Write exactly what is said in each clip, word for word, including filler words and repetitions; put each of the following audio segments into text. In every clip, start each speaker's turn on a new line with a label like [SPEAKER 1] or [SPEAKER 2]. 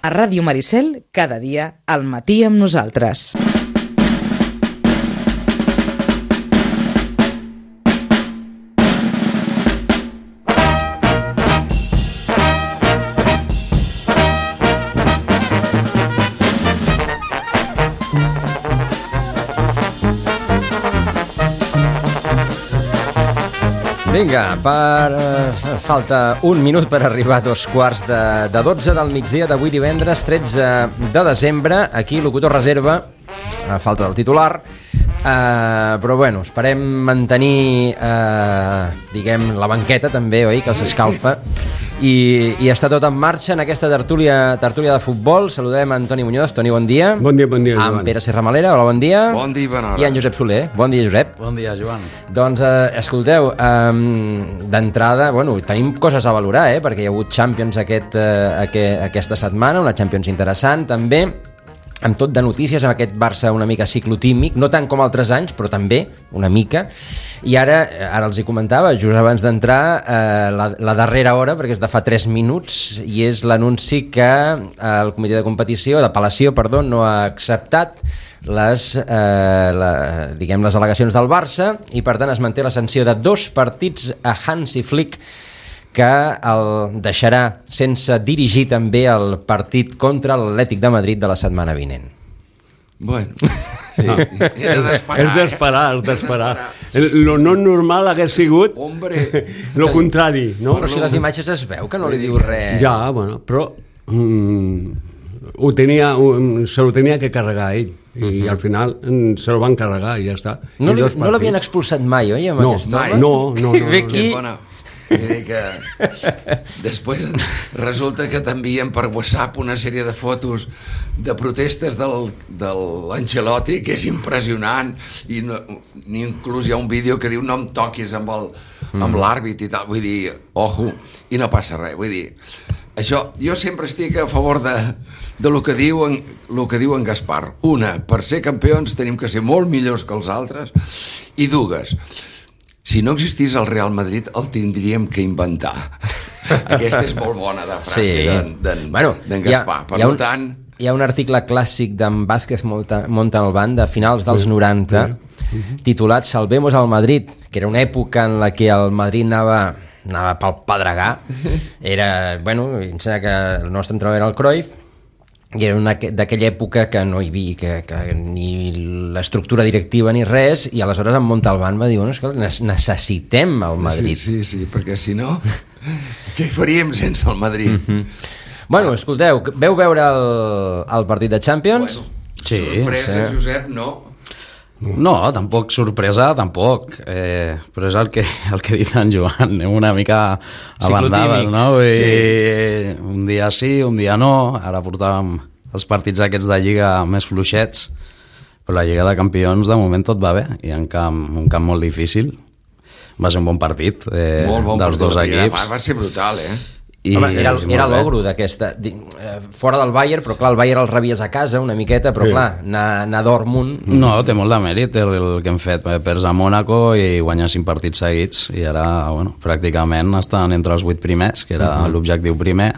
[SPEAKER 1] A Ràdio Maricel, cada dia, al matí amb nosaltres.
[SPEAKER 2] Vinga, per, uh, falta un minut per arribar a dos quarts de, de dotze del migdia d'avui divendres tretze de desembre. Aquí, locutor reserva, a falta del titular, uh, però bueno, esperem mantenir, uh, diguem, la banqueta també, oi, que els escalfa, i, i està tot en marxa en aquesta tertúlia, tertúlia de futbol. Saludem a Antoni Muñoz. Toni, bon dia.
[SPEAKER 3] Bon dia, bon dia, Joan.
[SPEAKER 2] En Pere Serramalera, hola, bon dia.
[SPEAKER 4] Bon dia, bona hora.
[SPEAKER 2] I en Josep Soler. Bon dia, Josep.
[SPEAKER 5] Bon dia, Joan.
[SPEAKER 2] Doncs, eh, escolteu, eh, d'entrada, bueno, tenim coses a valorar, eh, perquè hi ha hagut Champions aquest, eh, aquest, aquesta setmana, una Champions interessant, també, amb tot de notícies, amb aquest Barça una mica ciclotímic, no tant com altres anys, però també una mica. I ara, ara els hi comentava, just abans d'entrar, eh, la, la darrera hora, perquè és de fa tres minuts, i és l'anunci que eh, el comitè de competició, d'apel·lació, perdó, no ha acceptat les, eh, la, diguem, les al·legacions del Barça, i per tant es manté la sanció de dos partits a Hansi Flick, que el deixarà sense dirigir també el partit contra l'Atlètic de Madrid de la setmana vinent.
[SPEAKER 4] Bueno, sí, era d'esperar.
[SPEAKER 3] És d'esperar, és d'esperar. Lo no normal hagués sigut lo contrari, no?
[SPEAKER 2] Però si les imatges es veu que no li diu res.
[SPEAKER 3] Ja, bueno, però mm, ho tenia, ho, se lo tenia que carregar ell. I uh-huh. al final mm, se lo van carregar i ja està.
[SPEAKER 2] No, li, no l'havien expulsat mai, oi, amb
[SPEAKER 3] no,
[SPEAKER 2] aquest
[SPEAKER 3] home? No, no, no.
[SPEAKER 2] Ve aquí...
[SPEAKER 4] que després resulta que t'envien per WhatsApp una sèrie de fotos de protestes del, de l'Ancelotti, que és impressionant, i no, inclús hi ha un vídeo que diu no em toquis amb el, amb l'àrbit i tal, vull dir, ojo, i no passa res, vull dir, això, jo sempre estic a favor de, de lo que diu en, lo que diu en Gaspar. Una, per ser campions tenim que ser molt millors que els altres, i dues, si no existís el Real Madrid, el tindríem que inventar. Aquesta és molt bona de frase sí. d'en, d'en, bueno, d'en Gaspar. Per
[SPEAKER 2] un,
[SPEAKER 4] tant...
[SPEAKER 2] Hi ha un article clàssic d'en Vázquez Montalbán de finals dels noranta, sí. titulat Salvemos al Madrid, que era una època en la que el Madrid anava, anava pel pedregar. Era, bueno, em sembla que el nostre entrenador era el Cruyff, i era una d'aquella època que no hi havia que, que ni l'estructura directiva ni res, i aleshores en Montalbán va dir, bueno, escolta, necessitem el Madrid.
[SPEAKER 4] Sí, sí, sí, perquè si no, què hi faríem sense el Madrid?
[SPEAKER 2] Mm-hmm. Bueno, escolteu, veu veure el, el partit de Champions?
[SPEAKER 4] Bueno, sí, sorpresa, sí. Josep, no?
[SPEAKER 5] No, tampoc sorpresa, tampoc, eh, però és el que, el que ha dit en Joan, una mica abandades, no? I sí. Un dia sí, un dia no, ara portàvem els partits aquests de Lliga més fluixets, però la Lliga de Campions de moment tot va bé, i en camp, un camp molt difícil, va ser un bon partit eh,
[SPEAKER 4] molt bon
[SPEAKER 5] dels
[SPEAKER 4] partit,
[SPEAKER 5] dos equips.
[SPEAKER 4] Va ser brutal, eh?
[SPEAKER 2] I home, era, era l'ogro d'aquesta fora del Bayern, però clar, el Bayern el rebies a casa una miqueta, però sí. clar, anar, anar a Dortmund...
[SPEAKER 5] No, té molt de mèrit el, el que hem fet, perds a Mónaco i guanyar cinc partits seguits, i ara, bueno, pràcticament estan entre els vuit primers, que era uh-huh. l'objectiu primer,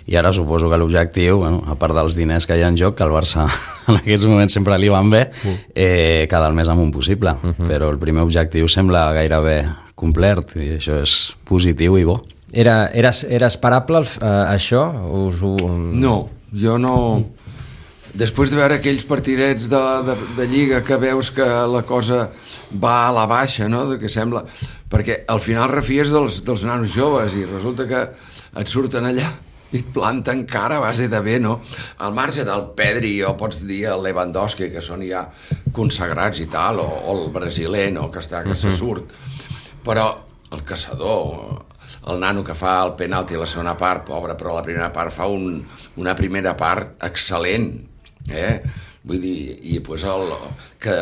[SPEAKER 5] i ara suposo que l'objectiu, bueno, a part dels diners que hi ha en joc, que el Barça en aquests moments sempre li van bé, uh-huh. eh, cada el més amunt possible, uh-huh. però el primer objectiu sembla gairebé complert, i això és positiu i bo.
[SPEAKER 2] Era, era, era esperable uh, això? Us ho...
[SPEAKER 4] No, jo no... Després de veure aquells partidets de, de, de Lliga que veus que la cosa va a la baixa, no? De que sembla... Perquè al final refies dels, dels nanos joves i resulta que et surten allà i et planten cara a base de bé, no? Al marge del Pedri, o pots dir el Lewandowski, que són ja consagrats i tal, o, o el brasiler, no? Que està, que se surt. Però el caçador... el nano que fa el penalti a la segona part, pobre, però la primera part fa un, una primera part excel·lent, eh? Vull dir, i pues el, que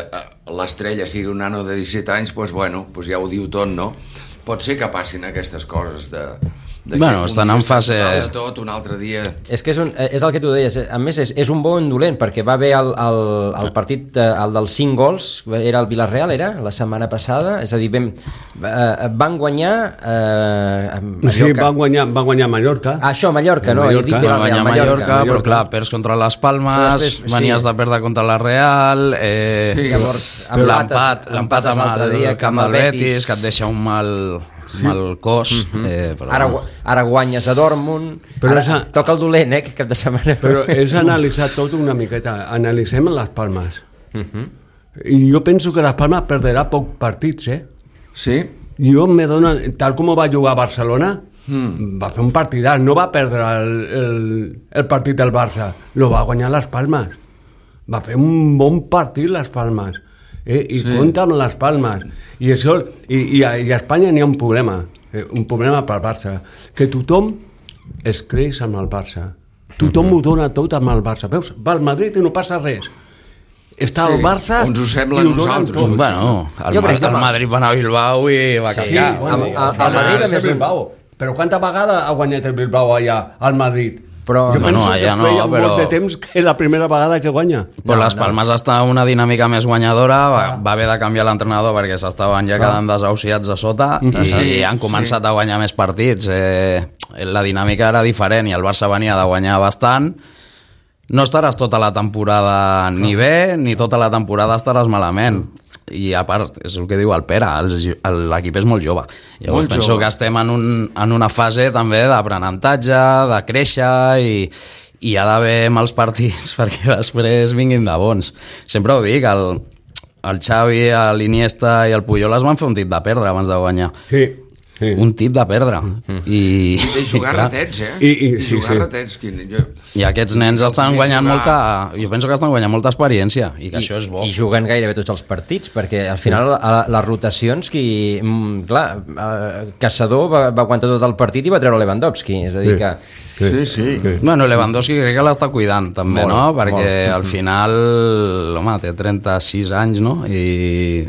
[SPEAKER 4] l'estrella sigui un nano de disset anys, pues bueno, pues ja ho diu tot, no? Pot ser que passin aquestes coses de,
[SPEAKER 5] Bueno, estan en fase...
[SPEAKER 4] De tot, un altre dia...
[SPEAKER 2] És que és, un, és el que tu deies, a més és, és un bon dolent, perquè va haver el, el, el partit, el dels cinc gols, era el Villarreal, era, la setmana passada, és a dir, vam, eh, van guanyar... Eh,
[SPEAKER 3] sí, van guanyar, van guanyar Mallorca.
[SPEAKER 2] Ah, això, Mallorca, no?
[SPEAKER 3] Mallorca.
[SPEAKER 2] Dic
[SPEAKER 5] Van guanyar
[SPEAKER 2] Mallorca,
[SPEAKER 5] Mallorca, Mallorca, però clar, perds contra les Palmes,
[SPEAKER 2] després,
[SPEAKER 5] venies
[SPEAKER 2] sí.
[SPEAKER 5] de perdre contra la Real, eh,
[SPEAKER 4] Sí,
[SPEAKER 2] llavors,
[SPEAKER 5] l'empat l'empat amb
[SPEAKER 2] l'altre
[SPEAKER 5] el
[SPEAKER 2] dia,
[SPEAKER 5] camp del Betis, que et deixa un mal... Sí. Mal cos uh -huh. eh, però
[SPEAKER 2] ara, ara guanyes a Dortmund,
[SPEAKER 3] però
[SPEAKER 2] ara
[SPEAKER 3] esa...
[SPEAKER 2] toca el dolent, eh, que cap de setmana.
[SPEAKER 3] Però és analitzar tot una miqueta. Analitzem les Palmes.
[SPEAKER 2] Uh -huh.
[SPEAKER 3] I jo penso que les Palmes perderà pocs partits, eh?
[SPEAKER 4] Sí?
[SPEAKER 3] Jo me dona... Tal com va jugar a Barcelona, mm. va fer un partidàs, no va perdre el, el, el partit del Barça, lo va guanyar les Palmes. Va fer un bon partit les Palmes. Eh? I sí. compta amb les Palmes. I, això, i, i, a, i a Espanya n'hi ha un problema, eh? un problema pel Barça, que tothom es creix amb el Barça. Tothom mm-hmm. ho dona tot amb el Barça. Veus, va al Madrid i no passa res. Està
[SPEAKER 4] sí,
[SPEAKER 3] el Barça
[SPEAKER 4] ens ho sembla
[SPEAKER 3] i
[SPEAKER 4] a
[SPEAKER 3] ho donen
[SPEAKER 4] nosaltres.
[SPEAKER 3] tot.
[SPEAKER 5] Bueno, el,
[SPEAKER 2] Jo crec que
[SPEAKER 5] el
[SPEAKER 2] va-
[SPEAKER 5] Madrid va anar a Bilbao i va
[SPEAKER 3] Sí,
[SPEAKER 5] canviar.
[SPEAKER 3] bueno,
[SPEAKER 2] Al-
[SPEAKER 3] al
[SPEAKER 2] al
[SPEAKER 3] final
[SPEAKER 2] Madrid, a
[SPEAKER 3] és
[SPEAKER 2] més,
[SPEAKER 3] el Bilbao. Però quanta vegada ha guanyat el Bilbao allà, al Madrid?
[SPEAKER 2] Però-
[SPEAKER 3] jo
[SPEAKER 5] Bueno,
[SPEAKER 3] penso
[SPEAKER 5] allà
[SPEAKER 3] que
[SPEAKER 5] no,
[SPEAKER 3] feia
[SPEAKER 5] però-
[SPEAKER 3] molt de temps que és la primera vegada que guanya.
[SPEAKER 5] Però
[SPEAKER 2] No,
[SPEAKER 5] les
[SPEAKER 2] no.
[SPEAKER 5] Palmes està en una dinàmica més guanyadora, va, va haver de canviar l'entrenador perquè s'estaven ja quedant desahuciats a sota i,
[SPEAKER 4] Sí,
[SPEAKER 5] i han començat
[SPEAKER 4] sí.
[SPEAKER 5] a guanyar més partits. Eh, la dinàmica era diferent i el Barça venia de guanyar bastant. No estaràs tota la temporada ni bé, ni tota la temporada estaràs malament. I a part, és el que diu el Pere, els- el- l'equip és molt jove. Llavors
[SPEAKER 4] Molt
[SPEAKER 5] penso
[SPEAKER 4] jove.
[SPEAKER 5] que estem en, un, en una fase també d'aprenentatge, de créixer i, i hi ha d'haver mals partits perquè després vinguin de bons. Sempre ho dic, el, el Xavi, l'Iniesta i el Puyol es van fer un tip de perdre abans de guanyar.
[SPEAKER 3] Sí, sí.
[SPEAKER 5] Un tip de perdre. I,
[SPEAKER 4] I de jugar
[SPEAKER 5] i clar,
[SPEAKER 4] ratets, eh?
[SPEAKER 3] I- i- sí,
[SPEAKER 4] jugar
[SPEAKER 3] sí.
[SPEAKER 4] ratets. Quin, jo...
[SPEAKER 5] I aquests nens
[SPEAKER 4] Els
[SPEAKER 5] estan
[SPEAKER 4] he vist
[SPEAKER 5] guanyant
[SPEAKER 4] jugar.
[SPEAKER 5] molta... Jo penso que estan guanyant molta experiència i que
[SPEAKER 2] I,
[SPEAKER 5] això és bo.
[SPEAKER 2] i juguen gairebé tots els partits, perquè al final a les rotacions qui, mm, clar, eh, Caçador va, va aguantar tot el partit i va treure Lewandowski, és a dir
[SPEAKER 3] Sí.
[SPEAKER 2] que
[SPEAKER 4] Sí, sí.
[SPEAKER 3] sí.
[SPEAKER 5] Bueno, Lewandowski crec que l'està cuidant també,
[SPEAKER 2] Molt,
[SPEAKER 5] no? Perquè
[SPEAKER 2] molt.
[SPEAKER 5] al final, home, té trenta-sis anys, no? I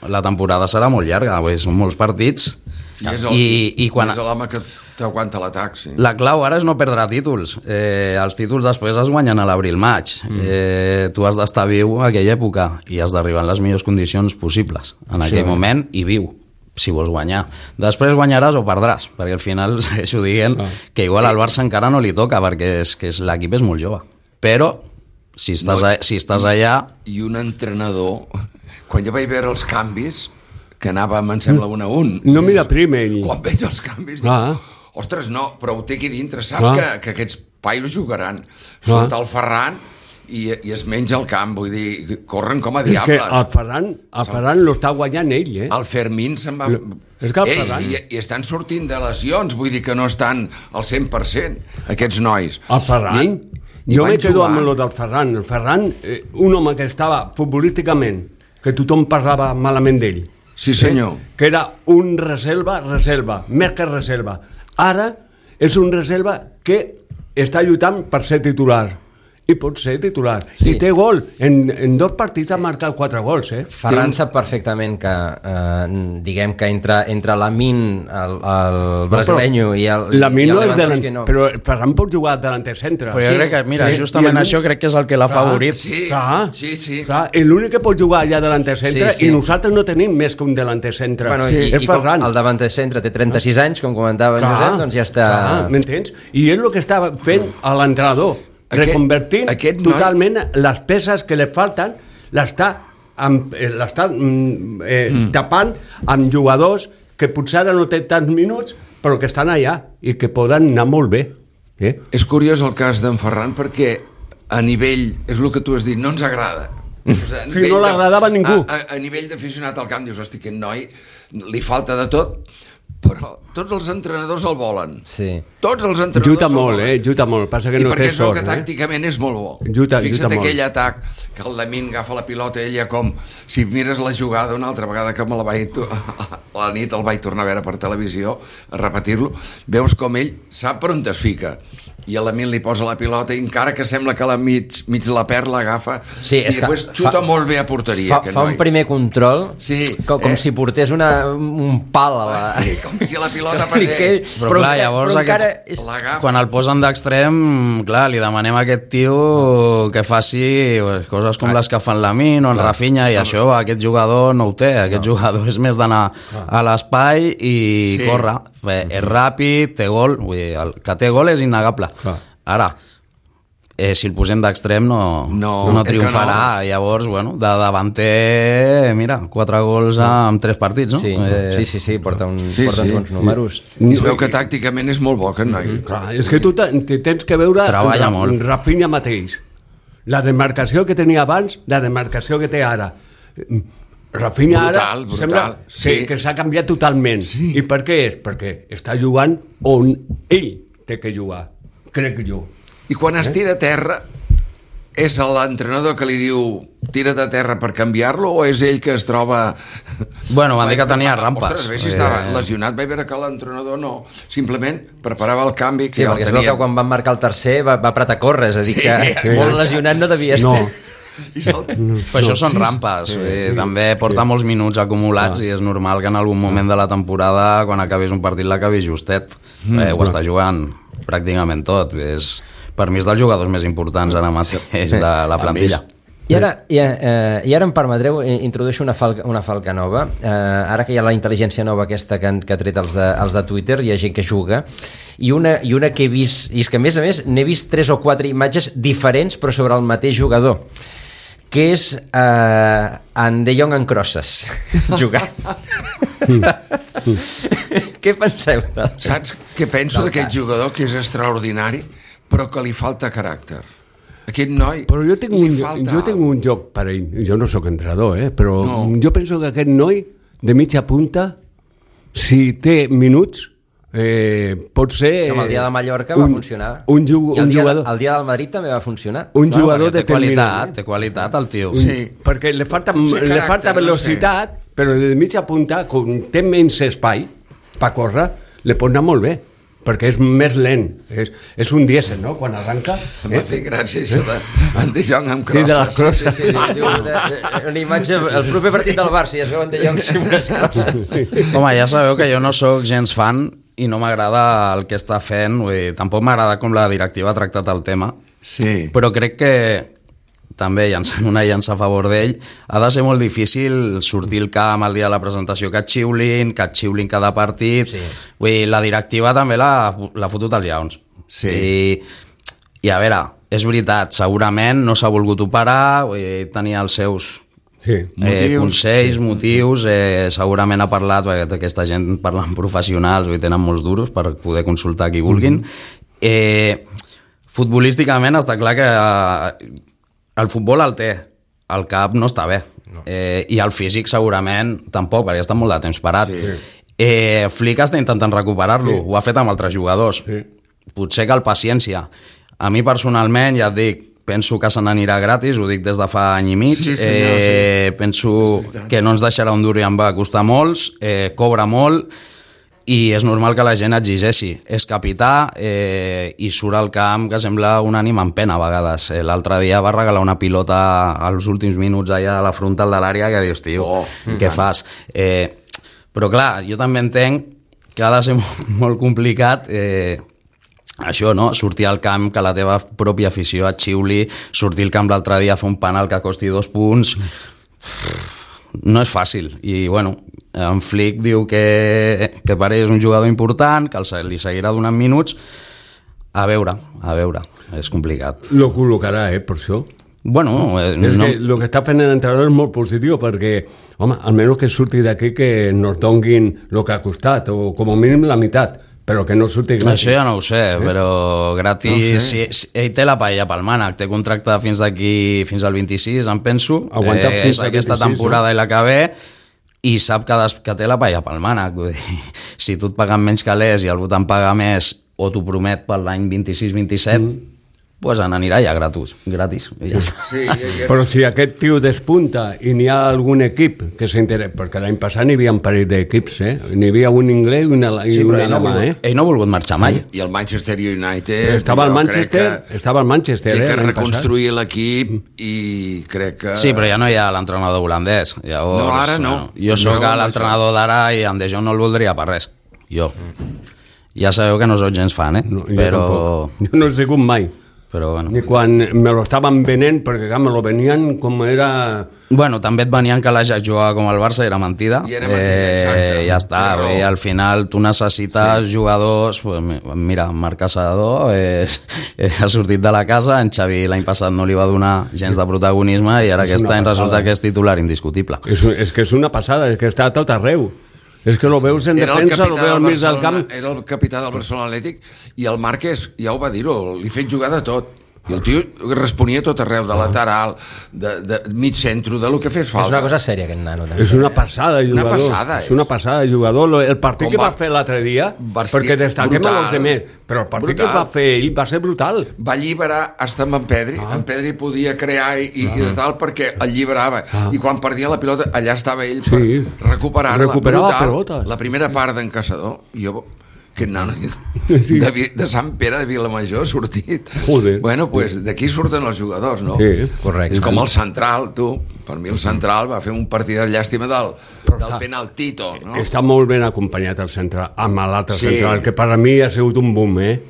[SPEAKER 5] la temporada serà molt llarga, perquè són molts partits.
[SPEAKER 4] Sí, és el,
[SPEAKER 5] I, i quan...
[SPEAKER 4] és l'home que t'aguanta l'atac, sí.
[SPEAKER 5] La clau ara és no perdre títols. Eh, els títols després es guanyen a l'abril-maig. Mm. Eh, tu has d'estar viu a aquella època i has d'arribar en les millors condicions possibles en aquell
[SPEAKER 3] Sí.
[SPEAKER 5] moment i viu, si vols guanyar. Després guanyaràs o perdràs, perquè al final segueixo dient
[SPEAKER 3] Ah.
[SPEAKER 5] que igual al Barça encara no li toca, perquè és que és, l'equip és molt jove. Però, si estàs,
[SPEAKER 4] No.
[SPEAKER 5] a, si estàs allà...
[SPEAKER 4] I un entrenador, quan jo vaig veure els canvis, que anàvem, em sembla, un a un.
[SPEAKER 3] No mira primer ell.
[SPEAKER 4] Quan veig els canvis, dic,
[SPEAKER 3] Ah.
[SPEAKER 4] ostres, no, però ho té aquí dintre, sap
[SPEAKER 3] Ah.
[SPEAKER 4] que, que aquests paios jugaran. Surt
[SPEAKER 3] Ah.
[SPEAKER 4] el Ferran i, i es menja el camp, vull dir, corren com a
[SPEAKER 3] És que
[SPEAKER 4] diables.
[SPEAKER 3] el Ferran, el Ferran lo està guanyant ell, eh?
[SPEAKER 4] El Fermín se'n va...
[SPEAKER 3] És que el
[SPEAKER 4] Ei,
[SPEAKER 3] Ferran-
[SPEAKER 4] i, I estan sortint de lesions, vull dir que no estan al cent per cent, aquests nois.
[SPEAKER 3] El Ferran?
[SPEAKER 4] I, i
[SPEAKER 3] jo
[SPEAKER 4] van
[SPEAKER 3] me quedo
[SPEAKER 4] jugar.
[SPEAKER 3] amb lo del Ferran. El Ferran, eh, un home que estava futbolísticament, que tothom parlava malament d'ell.
[SPEAKER 4] Sí, senyor.
[SPEAKER 3] Eh? Que era un reserva, reserva, més que reserva. Ara és un reserva que està lluitant per ser titular. I pot ser titular.
[SPEAKER 2] Sí.
[SPEAKER 3] I té gol. En, en dos partits ha marcat quatre gols, eh?
[SPEAKER 2] Ferran sap perfectament que, eh, diguem que entre, entre l'Amin, el, el brasileño i el,
[SPEAKER 3] La
[SPEAKER 2] i el
[SPEAKER 3] no és
[SPEAKER 2] Lewandowski
[SPEAKER 3] delant... Però Ferran pot jugar delanter centre.
[SPEAKER 5] Però jo
[SPEAKER 2] Sí,
[SPEAKER 5] crec que, mira,
[SPEAKER 3] sí.
[SPEAKER 5] justament
[SPEAKER 3] I el-
[SPEAKER 5] això crec que és el que l'ha
[SPEAKER 3] Clar,
[SPEAKER 5] favorit.
[SPEAKER 4] Sí,
[SPEAKER 3] Clar,
[SPEAKER 4] sí, sí.
[SPEAKER 3] Clar, i l'únic que pot jugar allà delanter centre,
[SPEAKER 2] Sí, sí.
[SPEAKER 3] i nosaltres no tenim més que un delanter centre.
[SPEAKER 2] Bueno,
[SPEAKER 3] sí.
[SPEAKER 2] i,
[SPEAKER 3] És
[SPEAKER 2] i com
[SPEAKER 3] Ferran.
[SPEAKER 2] el davanter centre té trenta-sis anys, com comentava en Josep, doncs ja està...
[SPEAKER 3] Clar, m'entens? I és el que estava fent a l'entrenador,
[SPEAKER 4] Aquest-
[SPEAKER 3] reconvertint
[SPEAKER 4] aquest noi-
[SPEAKER 3] totalment les peces que li falten, l'està amb- eh, l'està mm, eh, mm. tapant amb jugadors que potser ara no tenen tants minuts, però que estan allà i que poden anar molt bé. Eh?
[SPEAKER 4] És curiós el cas d'en Ferran perquè a nivell, és el que tu has dit, no ens agrada. O sigui, a
[SPEAKER 3] Sí,
[SPEAKER 4] nivell
[SPEAKER 3] no
[SPEAKER 4] de-
[SPEAKER 3] l'agradava a ningú.
[SPEAKER 4] A, a, a nivell d'aficionat al camp dius, hosti, aquest noi li falta de tot, però tots els entrenadors el volen.
[SPEAKER 2] Sí.
[SPEAKER 4] Tots els entrenadors
[SPEAKER 3] Lluita
[SPEAKER 4] el
[SPEAKER 3] molt,
[SPEAKER 4] volen.
[SPEAKER 3] eh? Lluita molt. Passa que
[SPEAKER 4] I
[SPEAKER 3] no
[SPEAKER 4] perquè
[SPEAKER 3] té
[SPEAKER 4] es veu
[SPEAKER 3] sort,
[SPEAKER 4] que
[SPEAKER 3] eh?
[SPEAKER 4] tàcticament és molt bo.
[SPEAKER 3] Lluita-
[SPEAKER 4] Fixa't
[SPEAKER 3] lluita molt.
[SPEAKER 4] aquell atac que el Lamine agafa la pilota ella com si mires la jugada una altra vegada que me la vaig to- a la nit el vaig tornar a veure per televisió a repetir-lo, veus com ell sap per on es fica i a l'Emil li posa la pilota i encara que sembla que la mig, mig la perd, l'agafa
[SPEAKER 2] sí,
[SPEAKER 4] i després xuta fa, molt bé a porteria.
[SPEAKER 2] Fa, fa un primer control
[SPEAKER 4] sí,
[SPEAKER 2] com, com
[SPEAKER 4] eh?
[SPEAKER 2] si portés una, un pal a la...
[SPEAKER 4] Ah, sí, com si la pilota passés.
[SPEAKER 5] Que, però, però clar, llavors
[SPEAKER 2] però
[SPEAKER 5] aquest,
[SPEAKER 2] és...
[SPEAKER 5] quan el posen d'extrem, clar, li demanem a aquest tio que faci coses com les que fan l'Amin o en Rafinha, i això aquest jugador no ho té, aquest no. jugador és més d'anar a l'espai i sí. córrer. Bé, és ràpid, té gol, vull dir, el que té gol és innegable. Clar. Ara, eh, si el posem d'extrem no, no, no triomfarà, no. Llavors, bueno, de davanter, mira, quatre gols en tres partits, no?
[SPEAKER 2] Sí,
[SPEAKER 5] eh...
[SPEAKER 2] sí, sí, sí, porta, un,
[SPEAKER 4] sí,
[SPEAKER 2] porta
[SPEAKER 4] sí.
[SPEAKER 2] uns bons números.
[SPEAKER 4] I es veu que tàcticament és molt bo, que no hi...
[SPEAKER 3] Clar, és que tu tens que veure
[SPEAKER 5] Treballa
[SPEAKER 3] en,
[SPEAKER 5] molt.
[SPEAKER 3] en Rafinha mateix. La demarcació que tenia abans, la demarcació que té ara. Rafinha
[SPEAKER 4] brutal,
[SPEAKER 3] ara
[SPEAKER 4] brutal,
[SPEAKER 3] sembla
[SPEAKER 4] sí.
[SPEAKER 3] que, que s'ha canviat totalment.
[SPEAKER 4] Sí.
[SPEAKER 3] I per què és? Perquè està jugant on ell té que jugar, crec jo.
[SPEAKER 4] I quan es tira a terra, és l'entrenador que li diu tira't a terra per canviar-lo o és ell que es troba...
[SPEAKER 5] Bueno, van dir que tenia rampes.
[SPEAKER 4] Ostres, bé, si estava lesionat, vaig veure que l'entrenador no, simplement preparava el canvi que
[SPEAKER 2] sí,
[SPEAKER 4] ja el
[SPEAKER 2] perquè
[SPEAKER 4] tenia.
[SPEAKER 2] es veu que quan van marcar el tercer va, va apretar a córrer, és a dir,
[SPEAKER 4] Sí,
[SPEAKER 2] que
[SPEAKER 4] exacte.
[SPEAKER 2] molt lesionat no devia
[SPEAKER 3] No.
[SPEAKER 2] estar.
[SPEAKER 4] I se'l...
[SPEAKER 5] Però això són rampes, sí, sí, també porta sí. molts minuts acumulats ah. i és normal que en algun moment de la temporada, quan acabis un partit, l'acabis justet. Mm, eh, ho està jugant pràcticament tot. És, per mi és dels jugadors més importants ara mateix de la plantilla.
[SPEAKER 2] I ara, i, eh, i ara em permetreu introdueixo una falca, una falca nova. Eh, ara que hi ha la intel·ligència nova aquesta que han, que ha tret els de, els de Twitter, hi ha gent que juga, i una, i una que he vist, i és que a més a més n'he vist tres o quatre imatges diferents però sobre el mateix jugador, que és eh, en De Jong en crosses jugant. Què penseu? Del...
[SPEAKER 4] Saps què penso d'aquest jugador que és extraordinari però que li falta caràcter? Aquest noi
[SPEAKER 3] però jo tinc,
[SPEAKER 4] li
[SPEAKER 3] un,
[SPEAKER 4] falta
[SPEAKER 3] jo tinc un joc per ell, jo no sóc entrenador, eh? Però no. Jo penso que aquest noi de mitja punta, si té minuts, eh, pot ser...
[SPEAKER 2] Com el dia de Mallorca va
[SPEAKER 3] un,
[SPEAKER 2] funcionar.
[SPEAKER 3] Un, ju,
[SPEAKER 2] I el
[SPEAKER 3] un
[SPEAKER 2] dia,
[SPEAKER 3] jugador...
[SPEAKER 2] el dia del Madrid també va funcionar.
[SPEAKER 3] Un
[SPEAKER 5] No,
[SPEAKER 3] jugador
[SPEAKER 5] té qualitat,
[SPEAKER 3] determinant.
[SPEAKER 5] té qualitat el tio.
[SPEAKER 4] Sí.
[SPEAKER 3] Perquè li falta,
[SPEAKER 4] Sí,
[SPEAKER 3] li
[SPEAKER 4] caràcter,
[SPEAKER 3] falta velocitat, no sé. Però de mitja punta, com té menys espai per córrer, li pot anar molt bé, perquè és més lent. És, és un dièsel, no?, quan arranca.
[SPEAKER 4] M'ha fet gràcia això de en De Jong amb
[SPEAKER 3] Sí, de les
[SPEAKER 4] crosses.
[SPEAKER 3] crosses.
[SPEAKER 2] Sí, sí, diu, de, de, una imatge, el proper partit del Barça, i es veuen De Jong amb unes crosses.
[SPEAKER 5] Home, ja sabeu que jo no sóc gens fan i no m'agrada el que està fent, vull dir, tampoc m'agrada com la directiva ha tractat el tema,
[SPEAKER 4] Sí.
[SPEAKER 5] però crec que també llançant una llança a favor d'ell, ha de ser molt difícil sortir al camp el dia de la presentació que et xiulin, que et xiulin cada partit.
[SPEAKER 2] Sí.
[SPEAKER 5] Vull dir, la directiva també l'ha fotut als lleons.
[SPEAKER 4] Sí.
[SPEAKER 5] I, I a veure, és veritat, segurament no s'ha volgut operar, vull dir, tenia els seus
[SPEAKER 3] Sí.
[SPEAKER 5] eh,
[SPEAKER 4] Motius.
[SPEAKER 5] consells, motius, eh, segurament ha parlat, perquè aquesta gent parla amb professionals, i tenen molts duros per poder consultar qui vulguin. Mm-hmm. Eh, futbolísticament està clar que eh, el futbol el té, el cap no està bé, no. Eh, i el físic segurament tampoc, perquè està molt de temps parat.
[SPEAKER 4] Sí.
[SPEAKER 5] Eh, Flick està intentant recuperar-lo, sí. Ho ha fet amb altres jugadors.
[SPEAKER 3] Sí.
[SPEAKER 5] Potser cal paciència. A mi personalment, ja et dic, penso que se n'anirà gratis, ho dic des de fa any i mig.
[SPEAKER 4] Sí, senyor,
[SPEAKER 5] eh,
[SPEAKER 4] sí.
[SPEAKER 5] Penso que no ens deixarà un dur i en va costar molts, eh, cobra molt, i és normal que la gent exigeixi. És capità eh, i surt al camp que sembla un ànim en pena a vegades. Eh, L'altre dia va regalar una pilota als últims minuts allà a la frontal de l'àrea que dius, tio,
[SPEAKER 4] Oh,
[SPEAKER 5] què fas? Eh, però clar, jo també entenc que ha de ser molt, molt complicat eh, això, no? Sortir al camp, que la teva pròpia afició et xiuli, sortir al camp l'altre dia a fer un penal que costi dos punts... No és fàcil, i bueno, en Flick diu que, que per ell és un jugador important, que el, li seguirà donant minuts. A veure, a veure, és complicat.
[SPEAKER 3] Lo col·locarà, eh, per això.
[SPEAKER 5] Bueno, eh,
[SPEAKER 3] És
[SPEAKER 5] no...
[SPEAKER 3] que el que està fent l'entrenador és molt positiu, perquè, home, almenys que surti d'aquí que nos donguin el que ha costat, o com a mínim la meitat, però que no surti gratis.
[SPEAKER 5] Això ja no ho sé, eh? però gratis...
[SPEAKER 4] No
[SPEAKER 5] si, si, ell té la paella pel mànec, té contracte fins d'aquí, fins al vint-i-sis, em penso.
[SPEAKER 3] Aguanta
[SPEAKER 5] eh,
[SPEAKER 3] fins
[SPEAKER 5] és
[SPEAKER 3] al
[SPEAKER 5] aquesta
[SPEAKER 3] vint-i-sis,
[SPEAKER 5] temporada
[SPEAKER 3] no?
[SPEAKER 5] i la que ve, i sap que, des, que té la paella pel mànec. Vull dir, si tu et paguen menys calés i algú te'n paga més, o t'ho promet per l'any vint-i-sis vint-i-set, mm. pues n'anirà ja gratis, gratis i ja està.
[SPEAKER 4] Sí, ja, ja.
[SPEAKER 3] Però si aquest tio despunta i n'hi ha algun equip que s'interessa, perquè l'any passat n'hi havia un parell d'equips, eh? N'hi havia un anglès i una, i
[SPEAKER 5] Sí, però
[SPEAKER 3] una
[SPEAKER 5] ell no, ha
[SPEAKER 3] alemà,
[SPEAKER 5] volgut,
[SPEAKER 3] eh?
[SPEAKER 5] ell no ha volgut marxar mai.
[SPEAKER 4] I el Manchester United...
[SPEAKER 3] Estava al
[SPEAKER 4] jo
[SPEAKER 3] Manchester,
[SPEAKER 4] crec que
[SPEAKER 3] estava al Manchester,
[SPEAKER 4] té
[SPEAKER 3] eh,
[SPEAKER 4] que
[SPEAKER 3] l'any
[SPEAKER 4] reconstruir l'equip i crec que...
[SPEAKER 5] Sí, però ja no hi ha l'entrenador holandès. Llavors,
[SPEAKER 4] No, ara no.
[SPEAKER 5] Jo
[SPEAKER 4] No,
[SPEAKER 5] sóc
[SPEAKER 4] no,
[SPEAKER 5] l'entrenador d'ara i en De Jong no el voldria per res. Jo. Ja sabeu que no sóc gens fan, eh?
[SPEAKER 3] No, jo
[SPEAKER 5] però...
[SPEAKER 3] tampoc. Jo no he sigut mai.
[SPEAKER 5] Però bueno.
[SPEAKER 3] Ni quan me lo estaven venent, perquè clar, me lo venien com era...
[SPEAKER 5] Bueno, també et venien que l'Ajax jugava com el Barça, era mentida.
[SPEAKER 4] I era mentida, exacte.
[SPEAKER 5] Ja està,
[SPEAKER 4] Però-
[SPEAKER 5] i al final tu necessites sí. jugadors... Pues, mira, Marc Caçador és, és, ha sortit de la casa, en Xavi l'any passat no li va donar gens de protagonisme i ara
[SPEAKER 3] És
[SPEAKER 5] aquest
[SPEAKER 3] una
[SPEAKER 5] any
[SPEAKER 3] passada,
[SPEAKER 5] resulta
[SPEAKER 3] eh?
[SPEAKER 5] que és titular indiscutible.
[SPEAKER 3] És, és que és una passada, és que està a tot arreu. És que lo veus en
[SPEAKER 4] Era el
[SPEAKER 3] defensa, lo
[SPEAKER 4] capità
[SPEAKER 3] veus al
[SPEAKER 4] del
[SPEAKER 3] mig del camp...
[SPEAKER 4] Barcelona, era el capità del Barcelona Atlètic i el Márquez ja ho va dir-ho, li he fet jugar de tot. I el tio responia tot arreu, de lateral, de, de mig centre, de lo que fes falta.
[SPEAKER 2] És una cosa sèria, aquest nano. També.
[SPEAKER 3] És una passada de
[SPEAKER 4] Una
[SPEAKER 3] jugador.
[SPEAKER 4] passada,
[SPEAKER 3] és una passada de jugador. Lo- El partit
[SPEAKER 4] Com
[SPEAKER 3] que va
[SPEAKER 4] va-
[SPEAKER 3] fer l'altre dia,
[SPEAKER 4] Vestit
[SPEAKER 3] perquè destaquem
[SPEAKER 4] brutal.
[SPEAKER 3] els demés, però el partit
[SPEAKER 4] Brutal.
[SPEAKER 3] que va fer ell va ser brutal.
[SPEAKER 4] Va alliberar hasta amb en Pedri. Ah. En Pedri podia crear i, i, i de tal perquè alliberava. Ah. I quan perdia la pilota, allà estava ell per
[SPEAKER 3] Sí.
[SPEAKER 4] recuperar-la.
[SPEAKER 3] Recuperava
[SPEAKER 4] Brutal.
[SPEAKER 3] pelota.
[SPEAKER 4] La primera part d'en Caçador, jo... Aquest nano
[SPEAKER 3] Sí.
[SPEAKER 4] de, Vi- de Sant Pere de Vilamajor ha sortit.
[SPEAKER 3] Joder.
[SPEAKER 4] Bueno, pues d'aquí surten els jugadors, no?
[SPEAKER 3] Sí.
[SPEAKER 2] Correcte.
[SPEAKER 4] És com el central, tu. Per mi el central va fer un partit de llàstima del,
[SPEAKER 3] Però
[SPEAKER 4] del
[SPEAKER 3] està-
[SPEAKER 4] penaltito, no?
[SPEAKER 3] Està molt ben acompanyat el central, amb l'altre
[SPEAKER 4] Sí.
[SPEAKER 3] central, que per a mi ha sigut un boom, eh?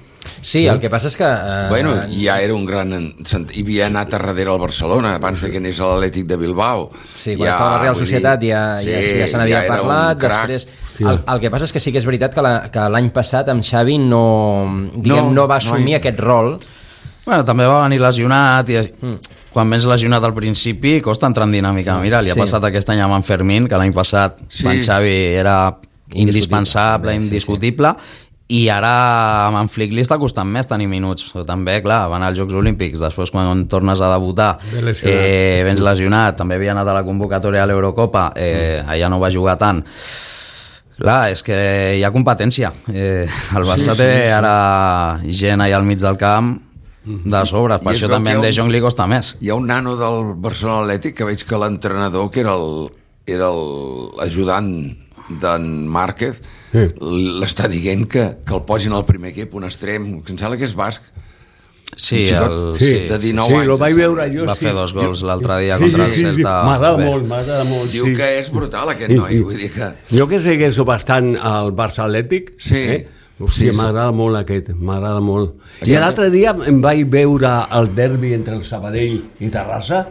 [SPEAKER 2] Sí, el que passa és que... Eh,
[SPEAKER 4] Bueno, ja era un gran... en- cent- Hi havia anat a darrere al Barcelona, abans de que anés a l'Atlètic de Bilbao.
[SPEAKER 2] Sí, quan ja, estava a la Real
[SPEAKER 4] vull
[SPEAKER 2] Societat
[SPEAKER 4] dir,
[SPEAKER 2] ja,
[SPEAKER 4] sí,
[SPEAKER 2] ja, ja se n'havia
[SPEAKER 4] ja era un
[SPEAKER 2] parlat,
[SPEAKER 4] crac.
[SPEAKER 2] després... El, el que passa és que sí que és veritat que la- que l'any passat amb Xavi no, diguem,
[SPEAKER 4] No,
[SPEAKER 2] no, va
[SPEAKER 4] no
[SPEAKER 2] assumir
[SPEAKER 4] hi-
[SPEAKER 2] aquest rol.
[SPEAKER 5] Bueno, també va venir lesionat i mm. quan vens lesionat al principi costa entrar en dinàmica. Mira, li ha
[SPEAKER 2] Sí.
[SPEAKER 5] passat aquest any amb en Fermín, que l'any passat
[SPEAKER 4] Sí.
[SPEAKER 5] en Xavi era indispensable,
[SPEAKER 2] Sí, sí.
[SPEAKER 5] indiscutible, i ara amb en Flick li està costant més tenir minuts. Però també, clar, van als Jocs Olímpics, després quan tornes a debutar
[SPEAKER 3] Ve lesionat.
[SPEAKER 5] eh, vens lesionat, també havia anat a la convocatòria a l'Eurocopa, eh, allà no va jugar tant. Clar, és que hi ha competència. Eh, el Barça
[SPEAKER 4] Sí, sí,
[SPEAKER 5] té
[SPEAKER 4] sí.
[SPEAKER 5] ara gent allà al mig del camp de sobre, per
[SPEAKER 4] I es
[SPEAKER 5] això
[SPEAKER 4] veu
[SPEAKER 5] també
[SPEAKER 4] que
[SPEAKER 5] en
[SPEAKER 4] hi ha
[SPEAKER 5] De Jong li costa més.
[SPEAKER 4] Hi ha un nano del Barcelona Atlètic que veig que l'entrenador, que era el era l'ajudant d'en Márquez,
[SPEAKER 3] Sí.
[SPEAKER 4] l'està dient que, que el posin al primer equip, un extrem, que em sembla que és basc.
[SPEAKER 5] Sí,
[SPEAKER 4] Un xicot,
[SPEAKER 5] el,
[SPEAKER 3] Sí,
[SPEAKER 5] sí,
[SPEAKER 4] de dinou
[SPEAKER 3] sí,
[SPEAKER 4] anys,
[SPEAKER 3] lo vaig
[SPEAKER 4] em
[SPEAKER 3] veure
[SPEAKER 4] sembla.
[SPEAKER 3] jo,
[SPEAKER 5] va
[SPEAKER 3] sí.
[SPEAKER 5] fer dos gols l'altre dia
[SPEAKER 3] Sí,
[SPEAKER 5] contra
[SPEAKER 3] sí,
[SPEAKER 5] el
[SPEAKER 3] sí, sí.
[SPEAKER 5] Celta.
[SPEAKER 3] M'agrada
[SPEAKER 5] Bé.
[SPEAKER 3] molt, m'agrada molt.
[SPEAKER 4] Diu
[SPEAKER 3] sí.
[SPEAKER 4] que és brutal aquest
[SPEAKER 3] I-
[SPEAKER 4] noi,
[SPEAKER 3] i-
[SPEAKER 4] vull dir que...
[SPEAKER 3] Jo que segueixo bastant al Barça Atlètic,
[SPEAKER 4] Sí.
[SPEAKER 3] eh? Hòstia,
[SPEAKER 4] Sí, sí.
[SPEAKER 3] m'agrada molt aquest, m'agrada molt.
[SPEAKER 4] Sí.
[SPEAKER 3] I l'altre dia em vaig veure el derbi entre el Sabadell i Terrassa.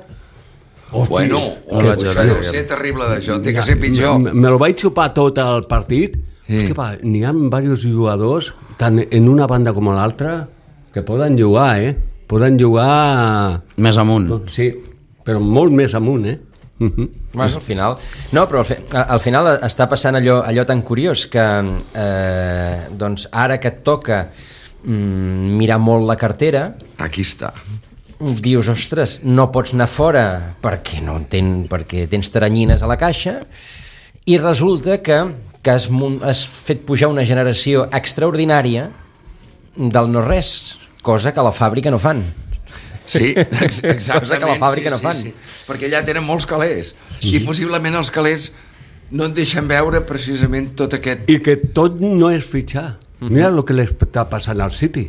[SPEAKER 3] Hòstia,
[SPEAKER 4] Bueno,
[SPEAKER 5] no
[SPEAKER 4] que
[SPEAKER 5] vaig
[SPEAKER 4] això
[SPEAKER 5] veure
[SPEAKER 4] deu
[SPEAKER 5] aquest.
[SPEAKER 4] ser terrible d'això, té que ser pitjor.
[SPEAKER 3] Me, me lo vaig xupar tot el partit.
[SPEAKER 4] Sí.
[SPEAKER 3] Hòstia, va, n'hi ha diversos jugadors, tant en una banda com a l'altra, que poden jugar, eh? Poden jugar...
[SPEAKER 5] Més amunt.
[SPEAKER 3] Sí, però molt més amunt, eh? Mhm.
[SPEAKER 2] Bueno, al final... No, però al, fi, al final està passant allò, allò tan curiós que eh, doncs ara que et toca mm, mirar molt la cartera,
[SPEAKER 4] Aquí està.
[SPEAKER 2] dius, ostres, no pots anar fora perquè, no ten, perquè tens taranyines a la caixa, i resulta que, que has, mun- has fet pujar una generació extraordinària del no-res, cosa que a la fàbrica no fan.
[SPEAKER 4] Sí, ex exactament.
[SPEAKER 2] Cosa que a la fàbrica
[SPEAKER 4] sí,
[SPEAKER 2] no
[SPEAKER 4] sí,
[SPEAKER 2] fan.
[SPEAKER 4] Sí, perquè allà tenen molts calés. I possiblement els calés no et deixen veure precisament tot aquest...
[SPEAKER 3] I que tot no és fitxar. Mira el que li està passant al City.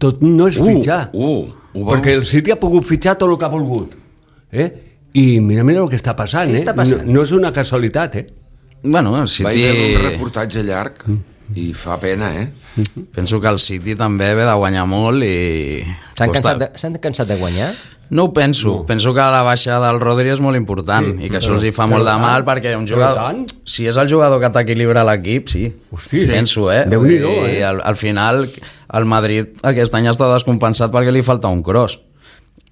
[SPEAKER 3] Tot no és fitxar.
[SPEAKER 4] Uh, ho veu?
[SPEAKER 3] Perquè el City ha pogut fitxar tot el que ha volgut. Eh? I mira, mira el que està passant.
[SPEAKER 2] Què
[SPEAKER 3] Eh?
[SPEAKER 2] està passant?
[SPEAKER 3] No, no és una casualitat, eh?
[SPEAKER 5] Bueno, el
[SPEAKER 4] Vaig veure un
[SPEAKER 5] City...
[SPEAKER 4] reportatge llarg i fa pena, eh?
[SPEAKER 5] Penso que el City també ve de guanyar molt i...
[SPEAKER 2] S'han
[SPEAKER 5] costa-
[SPEAKER 2] cansat, de, s'han cansat de guanyar?
[SPEAKER 5] No ho penso. No. Penso que la baixa del Rodri és molt important sí, i que això els hi fa molt de
[SPEAKER 3] tant,
[SPEAKER 5] mal perquè un
[SPEAKER 3] però
[SPEAKER 5] jugador...
[SPEAKER 3] tant.
[SPEAKER 5] Si és el jugador que t'equilibra l'equip, sí.
[SPEAKER 3] Hosti,
[SPEAKER 5] penso, eh?
[SPEAKER 3] Déu-n'hi-do,
[SPEAKER 5] I
[SPEAKER 3] eh?
[SPEAKER 5] al, al final el Madrid aquest any està descompensat perquè li falta un cross.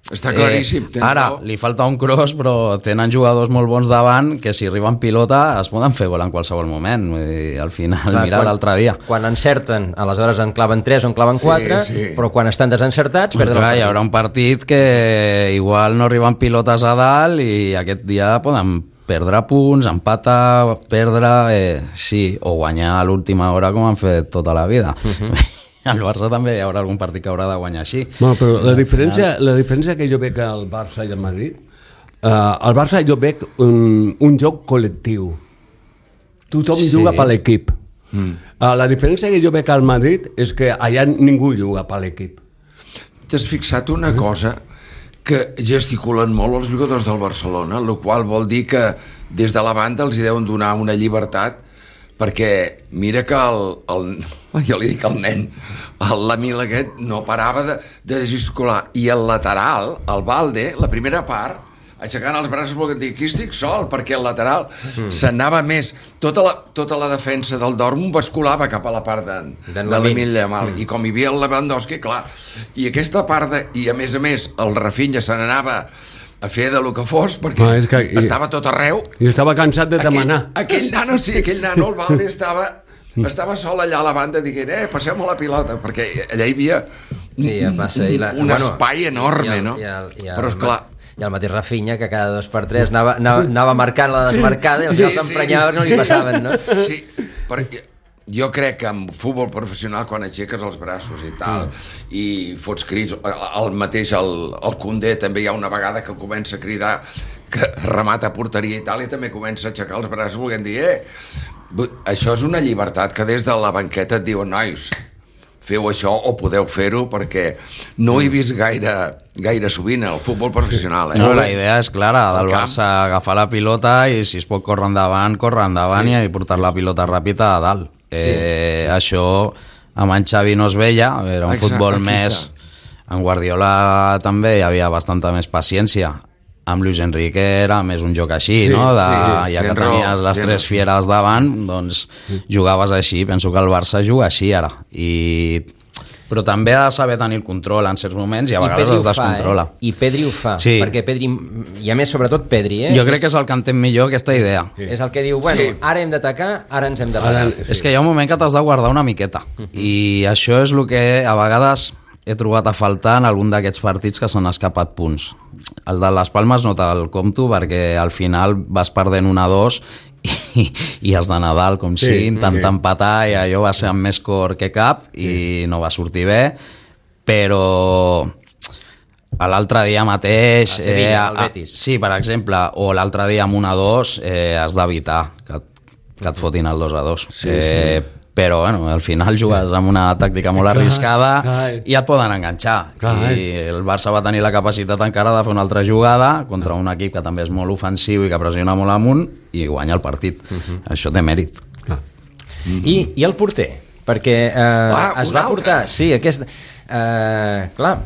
[SPEAKER 4] Està claríssim.
[SPEAKER 5] Eh, ara, li falta un cross, però tenen jugadors molt bons davant que si arriben pilota es poden fer gol en qualsevol moment. Vull dir, al final,
[SPEAKER 2] Clar,
[SPEAKER 5] mira
[SPEAKER 2] quan-
[SPEAKER 5] l'altre dia.
[SPEAKER 2] Quan encerten, aleshores en claven tres o en claven
[SPEAKER 4] Sí,
[SPEAKER 2] quatre,
[SPEAKER 4] sí.
[SPEAKER 2] però quan estan desencertats
[SPEAKER 5] Però
[SPEAKER 2] perden
[SPEAKER 5] clar, hi
[SPEAKER 2] el
[SPEAKER 5] haurà un partit que igual no arriben pilotes a dalt i aquest dia poden perdre punts, empatar, perdre, eh, sí, o guanyar a l'última hora com han fet tota la vida. Uh -huh. al Barça també hi haurà algun partit que haurà de guanyar així.
[SPEAKER 3] No, però la diferència, la diferència que jo veig al Barça i al Madrid, uh, al Barça jo veig un, un joc col·lectiu. Tothom sí. juga per l'equip. Mm. Uh, la diferència que jo veig al Madrid és que allà ningú juga per l'equip.
[SPEAKER 4] T'has fixat una cosa que gesticulen molt els jugadors del Barcelona, el qual vol dir que des de la banda els hi deuen donar una llibertat, perquè mira que el, el jo li dic el nen, el Lamil aquest no parava de, de gesticular, i el lateral, el Balde, la primera part, aixecant els braços volent dir, aquí estic sol, perquè el lateral mm. s'anava més, tota la, tota la defensa del Dortmund basculava cap a la part de, de l'Emil Yamal, mm. i com hi havia el Lewandowski, clar, i aquesta part de, i a més a més el Rafinha se n'anava a fer de lo que fos, perquè no, que, i, estava tot arreu,
[SPEAKER 3] i estava cansat de demanar.
[SPEAKER 4] Aquell, aquell nano, sí, aquell nano, el Balde estava estava sol allà a la banda dient, eh, passem a la pilota, perquè allà hi havia un, sí, passa, un, la, un bueno, espai enorme, i el, no? I el, i el, però esclar,
[SPEAKER 2] i el mateix Rafinha, que cada dos per tres anava, anava, anava marcant la desmarcada, i els sí, que s'emprenyaven sí, no li sí. passaven, no?
[SPEAKER 4] Sí, perquè jo crec que en futbol professional, quan aixeques els braços i tal, mm. i fots crits, el mateix, el, el Koundé també hi ha una vegada que comença a cridar que remata a porteria i tal, i també comença a aixecar els braços volent dir, eh, això és una llibertat que des de la banqueta et diuen, nois, feu això o podeu fer-ho, perquè no he vist gaire, gaire sovint el futbol professional. Eh?
[SPEAKER 5] No, la idea és clara, del Barça agafar la pilota i si es pot córrer endavant, córrer endavant, sí. i portar la pilota ràpida a dalt. Sí. Eh, això amb en Xavi no es veia, era un Exacte, futbol més... En Guardiola també hi havia bastanta més paciència. Amb Luis Enrique era més un joc així, sí, no? De, sí, ja que tenies les tres fieres davant, doncs jugaves així. Penso que el Barça juga així ara. I... Però també ha de saber tenir el control en certs moments i a vegades es descontrola.
[SPEAKER 2] Fa, eh? I Pedri ho fa, sí. perquè Pedri, i a més sobretot Pedri, eh?
[SPEAKER 5] Jo crec que és el que entén millor aquesta idea.
[SPEAKER 2] Sí. És el que diu, bueno, sí. ara hem d'atacar, ara ens hem de parar.
[SPEAKER 5] Sí. És que hi ha un moment que t'has de guardar una miqueta. Uh-huh. I això és el que a vegades he trobat a faltar en algun d'aquests partits que s'han escapat punts. El de les Palmes no te'l compto perquè al final vas perdent un a dos i, i has d'anar dalt com sí, sigui, intentar okay. empatar, i allò va ser amb més cor que cap i sí. no va sortir bé, però l'altre dia mateix
[SPEAKER 2] a Sevilla, eh, al Betis.
[SPEAKER 5] Sí, per exemple, o l'altre dia amb un a dos eh, has d'evitar que, que et fotin el dos a dos. Sí, eh, sí. Però bueno, al final jugues amb una tàctica molt arriscada i et poden enganxar. Clar. I el Barça va tenir la capacitat encara de fer una altra jugada contra un equip que també és molt ofensiu i que pressiona molt amunt i guanya el partit. Uh-huh. Això té mèrit.
[SPEAKER 2] Clar. Uh-huh. I, I el porter? Perquè eh, ah, es va portar... Sí, aquest... Eh, clar,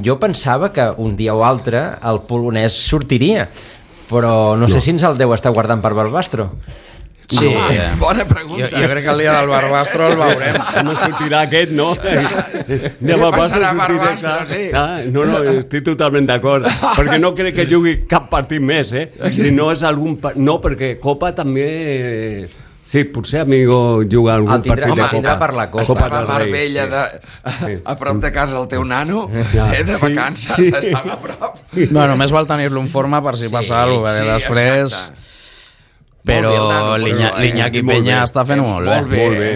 [SPEAKER 2] jo pensava que un dia o altre el polonès sortiria, però no, no. sé si ens el deu estar guardant per Barbastro.
[SPEAKER 4] Sí, ah, bona pregunta.
[SPEAKER 5] Jo, jo crec que el dia del Barbastro el veurem.
[SPEAKER 3] No sortirà aquest, no?
[SPEAKER 4] Què passarà a Barbastro, sí.
[SPEAKER 3] Ah, no, no, estic totalment d'acord. Perquè no crec que jugui cap partit més, eh? Si no és algun... No, perquè Copa també... Sí, potser Amigo juga algun
[SPEAKER 2] el tindrà,
[SPEAKER 3] partit
[SPEAKER 2] home,
[SPEAKER 3] de Copa.
[SPEAKER 2] Per la Copa.
[SPEAKER 4] Estava a Marbella, de, sí. a prop de casa del teu nano, ja. eh, de vacances, sí, sí. estava a prop.
[SPEAKER 5] No, només vol tenir-lo en forma per si sí, passa alguna cosa, perquè sí, després... Exacte. Però l'Iñaki Peña està fent molt bé.
[SPEAKER 4] Molt bé,
[SPEAKER 3] molt bé,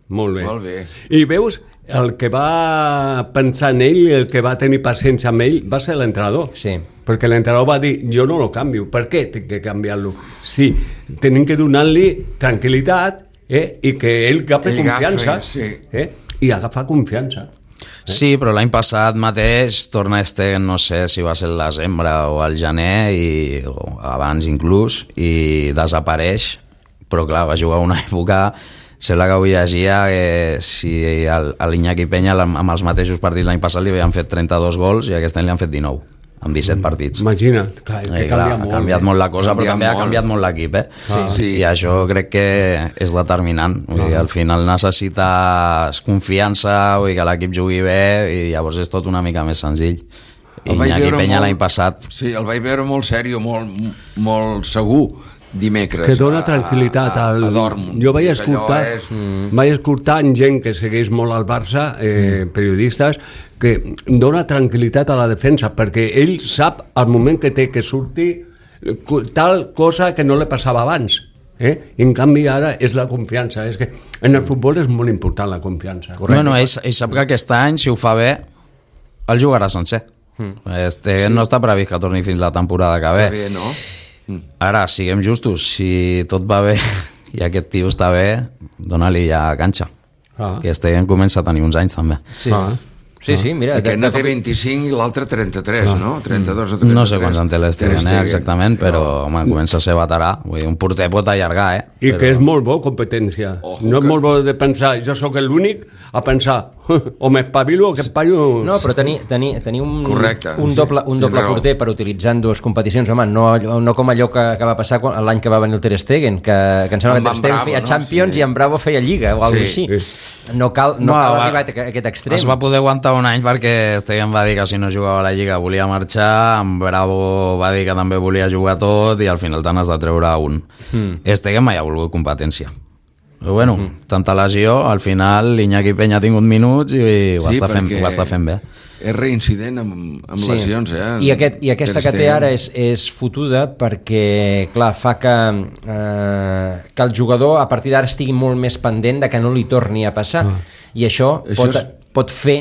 [SPEAKER 3] molt bé.
[SPEAKER 4] Molt bé.
[SPEAKER 3] I veus, el que va pensar en ell, el que va tenir paciència amb ell, va ser l'entrenador.
[SPEAKER 2] Sí.
[SPEAKER 3] Perquè l'entrenador va dir, jo no lo canvio. Per què tinc que canviar-lo? Sí, tenim que donar-li tranquil·litat eh, i que ell agafi confiança.
[SPEAKER 4] Sí.
[SPEAKER 3] Eh, I agafar confiança.
[SPEAKER 5] Eh? Sí, però l'any passat mateix torna este, no sé si va ser el desembre o el gener, i, o abans inclús, i desapareix, però clar, va jugar una època, sembla que avui llegia que si l'Iñaki Peña amb els mateixos partits l'any passat li havien fet trenta-dos gols i aquest any li han fet dinou. Amb disset partits.
[SPEAKER 3] Imagina't, clar, que
[SPEAKER 5] eh, clar, ha canviat molt, molt la cosa, però també molt. ha canviat molt l'equip, eh?
[SPEAKER 3] Sí.
[SPEAKER 5] Sí. I això crec que és determinant. Vull dir, al final necessites confiança, vull dir, que l'equip jugui bé, i llavors és tot una mica més senzill. I Iñaki Peña l'any passat...
[SPEAKER 4] Sí, el vaig veure molt sèrio, molt, molt segur, dimecres.
[SPEAKER 3] Que dona tranquil·litat al...
[SPEAKER 4] a, a Dortmund.
[SPEAKER 3] Jo vaig escoltar, és... vaig escoltar en gent que segueix molt al Barça, eh, periodistes, que dona tranquil·litat a la defensa, perquè ell sap al moment que té que sortir tal cosa que no li passava abans. Eh? I en canvi ara és la confiança. És que en el futbol és molt important la confiança.
[SPEAKER 5] Bueno, ell, ell sap que aquest any, si ho fa bé, el jugarà sencer. Mm. Este sí. No està previst que torni fins la temporada que ve.
[SPEAKER 4] Bé, no? Mm.
[SPEAKER 5] Ara, siguem justos, si tot va bé i aquest tio està bé, dona-li ja canxa. Ah. Que Stegen comença a tenir uns anys també.
[SPEAKER 2] Sí. Ah. Sí, sí, mira...
[SPEAKER 4] Aquest no té vint-i-cinc i l'altre trenta-tres, ah. no? trenta-dos o trenta-tres.
[SPEAKER 5] No sé quants en té l'Stegen, eh, exactament, però home, comença a ser veterà. Vull dir, un porter pot allargar, eh?
[SPEAKER 3] I
[SPEAKER 5] però...
[SPEAKER 3] que és molt bo competència. Ojo, no és que... molt bo de pensar, jo sóc l'únic a pensar, o m'espavilo o que paio...
[SPEAKER 2] No, però tenir, tenir, tenir un,
[SPEAKER 4] Correcte,
[SPEAKER 2] un doble, un
[SPEAKER 4] sí,
[SPEAKER 2] doble
[SPEAKER 4] raó.
[SPEAKER 2] porter per utilitzar en dues competicions, home, no, no com allò que, que va passar quan, l'any que va venir el Ter Stegen, que, que em sembla
[SPEAKER 4] Amb
[SPEAKER 2] que Ter Stegen
[SPEAKER 4] Bravo,
[SPEAKER 2] feia
[SPEAKER 4] no?
[SPEAKER 2] Champions
[SPEAKER 4] Sí.
[SPEAKER 2] i en Bravo feia Lliga o alguna
[SPEAKER 4] Sí.
[SPEAKER 2] cosa així. No cal, no
[SPEAKER 5] No,
[SPEAKER 2] cal
[SPEAKER 5] va,
[SPEAKER 2] arribar a aquest extrem.
[SPEAKER 5] Es va poder aguantar un any perquè Stegen va dir que si no jugava a la Lliga volia marxar, en Bravo va dir que també volia jugar tot i al final te n'has de treure un. Mm. Stegen mai ha volgut competència. Però bueno, mm. tanta lesió, al final l'Iñaki Peña ha tingut minuts i ho,
[SPEAKER 4] Sí,
[SPEAKER 5] està, fent, ho està fent bé.
[SPEAKER 4] És reincident amb, amb
[SPEAKER 2] Sí.
[SPEAKER 4] lesions, eh?
[SPEAKER 2] I, aquest, I aquesta que té ara és, és fotuda perquè, clar, fa que, eh, que el jugador a partir d'ara estigui molt més pendent de que no li torni a passar. Ah. I això,
[SPEAKER 4] Això
[SPEAKER 2] pot,
[SPEAKER 4] és...
[SPEAKER 2] pot fer